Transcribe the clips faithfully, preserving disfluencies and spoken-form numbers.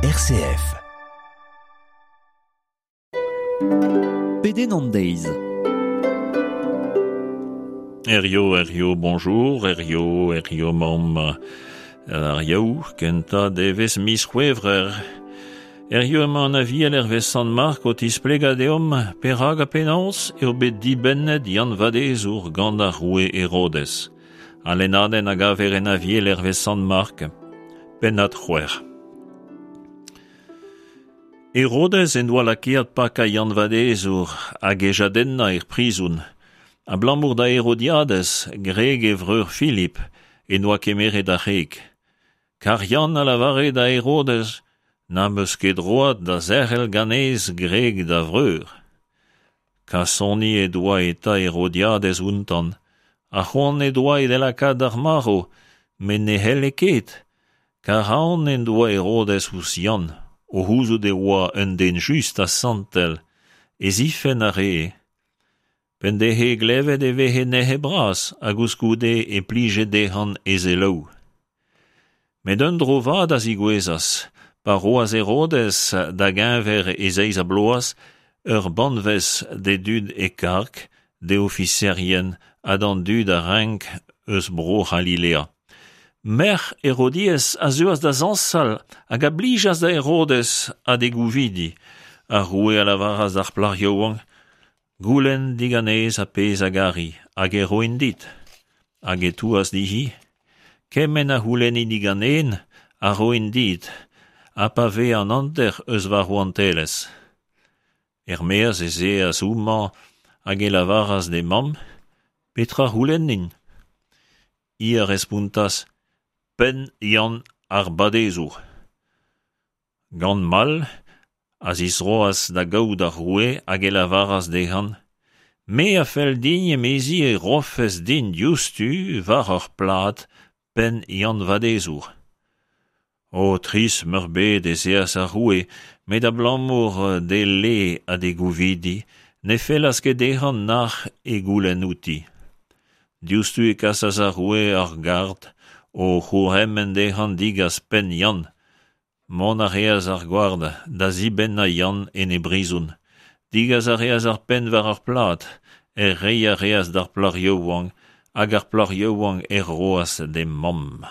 R C F. Pedenn an deiz. Herrio, Herrio, bonjour, Herrio, Herrio, mamm ar yaou, kenta devez miz c'hwevrer. Herrio emañ an aviel hervez Sant Mark o tisplega deomp perak ha penaos eo bet dibennet Yann Vadezour gant ar roue Herodes. Al lennadenn a gaver en aviel hervez Sant Mark, pennad c'hwec'h. Herodes en doa lakaet pakañ Yann Vadezour hag e jadennañ er prizon. Abalamour da Herodiades, greg e vreur Philip, en doa kemeret ar c'hreg. Kar Yann a lavare da Herodes, n'am eus ket droad da zerc'hel ganez greg da vreur. Kasoni e doa eta Herodiades ountan, ha c'hoant e doa e lakaat d'ar marv, met ne c'helle ket, kar aon en doa Herodes ouzh Yann, o c'houzout e oa un den just ha santel, e zifenn a ree. P'en dehe glevet e vehe nec'het bras, hag koulskoude e plije dezhan e selaou. Met un dro vat a zigouezas, pa roas Herodes da geñver e zeiz ha bloaz, ur banvez d'e dud e karg, d'e ofiserien ha d'an dud a renk eus bro C'halilea. Merc'h Herodias a zeuas da zañsal hag a blijas da Herodes ha d'e gouvidi. Ar roue a lavaras d'ar plac'h yaouank, goulenn diganez ar pezh a gari, hag e roin dit. Hag e touas dihi, kement a c'houlenni diganen a roin dit, ha pa vez an hanter eus va rouantelezh. Er-maez ez eas houmañ hag e lavaras d'he mamm, petra c'houlennin? Hi a respontas, penn Yann ar Badezour. Gant mall a zisroas da gaout ar roue hag e lavaras dezhan, me a fell din emezi e rofez din diouzhtu war ur plad penn Yann Vadezour. O tris meurbet ez eas ar roue, met abalamour d'e le ha d'e gouvidi, ne fellas ket dezhan nac'h e goulenn outi. Diouzhtu e kasas ar roue ar gard o c'hourc'hemenn dezhan digas penn Yann. Mont a reas ar gward da zibennañ Yann en e brizon. Digas a reas ar penn war ar plad, er reiñ a reas d'ar plac'h yaouank, hag ar plac'h yaouank er roas d'he mamm.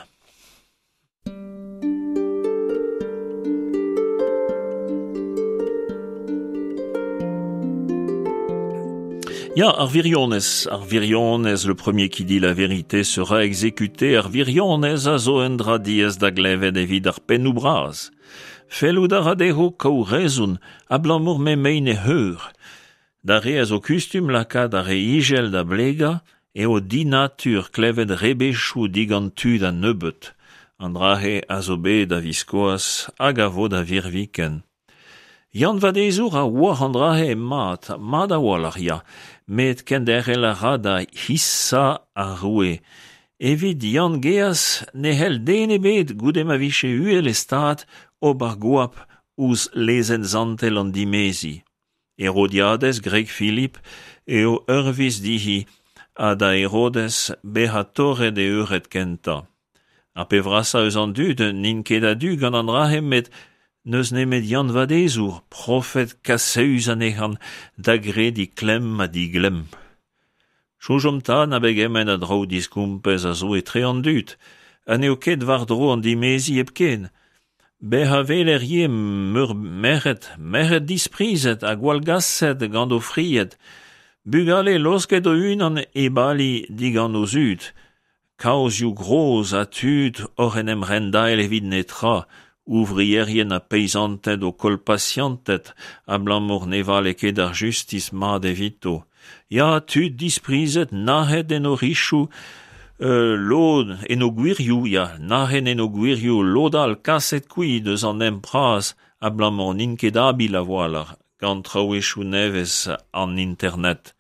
Ya, ar wirionez, ar wirionez, le premier qui dit la vérité sera exécuté, ar wirionez a zo un dra diaes da glevet evit ar pennoù bras. Fellout a ra dezho kaout rezon, abalamour m'emaint e heur. Da re a zo kustum lakaat ar re ijel da blegañ, eo dinatur klevet rebechoù digant tud a nebeut. An dra-se a zo bet a viskoazh hag a vo da virviken. Yann Vadezour a oar an dra-se mat, mat a-walc'h ya, met kenderc'hel a ra da hisañ ar roue. Evit Yann Geaz ne c'hell den ebet goude ma vije uhel e stad ober goap ouzh lezenn zantel an dimeziñ. Herodiades, greg Philip, eo ur viz dihi ha da Herodes bezañ torret e eured kentañ. Ar pep vrasañ eus an dud n'int ket a-du gant an dra-se met n'eus nemet Yann Vadezour, profed kasaus anezhan, da grediñ klemm ha diglemm. Soñjomp 'ta na begement a draoù diskompez a zo etre an dud, ha n'eo ket war-dro an dimeziñ hepken. Bezañ a weler ivez meur merc'hed, merc'hed disprizet ha gwallgaset gant o fried, bugale laosket o-unan e bali digant o zud, kaozioù gros ha tud oc'h en em rendael evit netra, ouvrierien ha peizanted o koll pasianted abalamour ne vale ket ar justis mat evito. Ya, tud disprizet, nac'het en o richoù, euh, lod en o gwirioù, ya, nac'het en o gwirioù, lod all kaset kuit eus an hent bras abalamour n'int ket abil a-walc'h gant traouezhioù nevez an internet.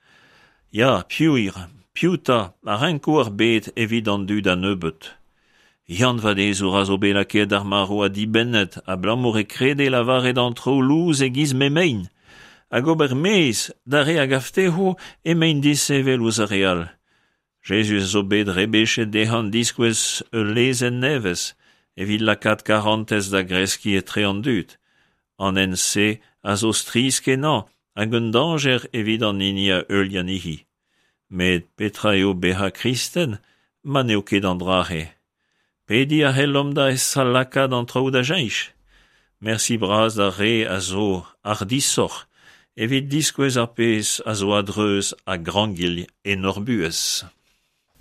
Ya, piv piv 'ta a renko ar bed evit an dud a nebeut. Yann Vadezour a zo bet lakaet d'ar marv ha dibennet, abalamour e krede lavaret an traoù lous e-giz m'emaint, hag ober mezh d'ar re a gav dezho emaint disheñvel ouzh ar re all. Jezuz a zo bet rebechet dezhan diskouez ul lezenn nevez, evit lakaat karantez da greskiñ etre an dud. An hent-se a zo strizh-kenañ hag un dañjer evit an hini a heuilh anezhi. Met petra eo bezañ kristen ma n'eo ket an dra-se ? Pediñ a c'hellomp da esa lakaat an traoù da cheñch. Mersi bras d'ar re a zo hardishoc'h evit diskouez ar pezh a zo a-dreuz ha grankilh en hor buhez.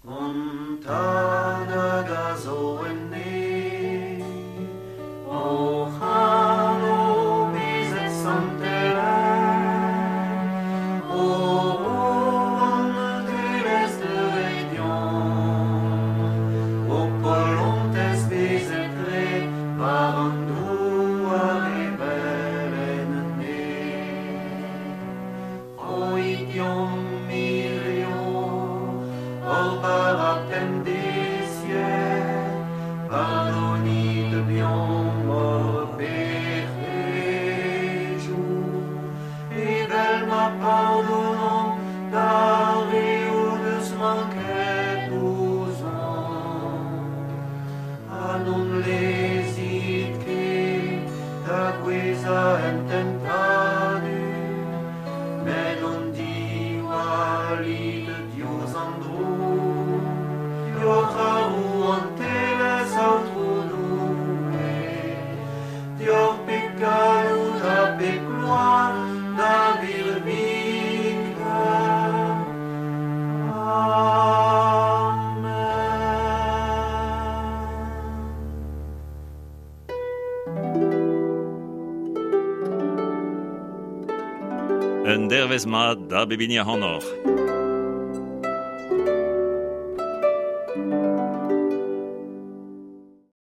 Hon Tad hag a zo en neñv, hoc'h anv bezet santelaet, ho rouantelezh deuet deomp, ho polontez bezet graet war an douar evel en neñv. Roit deomp hiziv hor bara pemdeziek, pardonit deomp hor pec'hedoù, evel ma pardonomp d'ar re o deus manket ouzhomp. Ha n'hon lezit ket da gouezhañ en tentadur, met hon diwallit diouzh an droug. Deoc'h ar rouantelezh, Aotrou Doue, deoc'h pep galloud ha pep gloar da birviken. Amen. Un dervezh mat da bep hini ac'hanoc'h.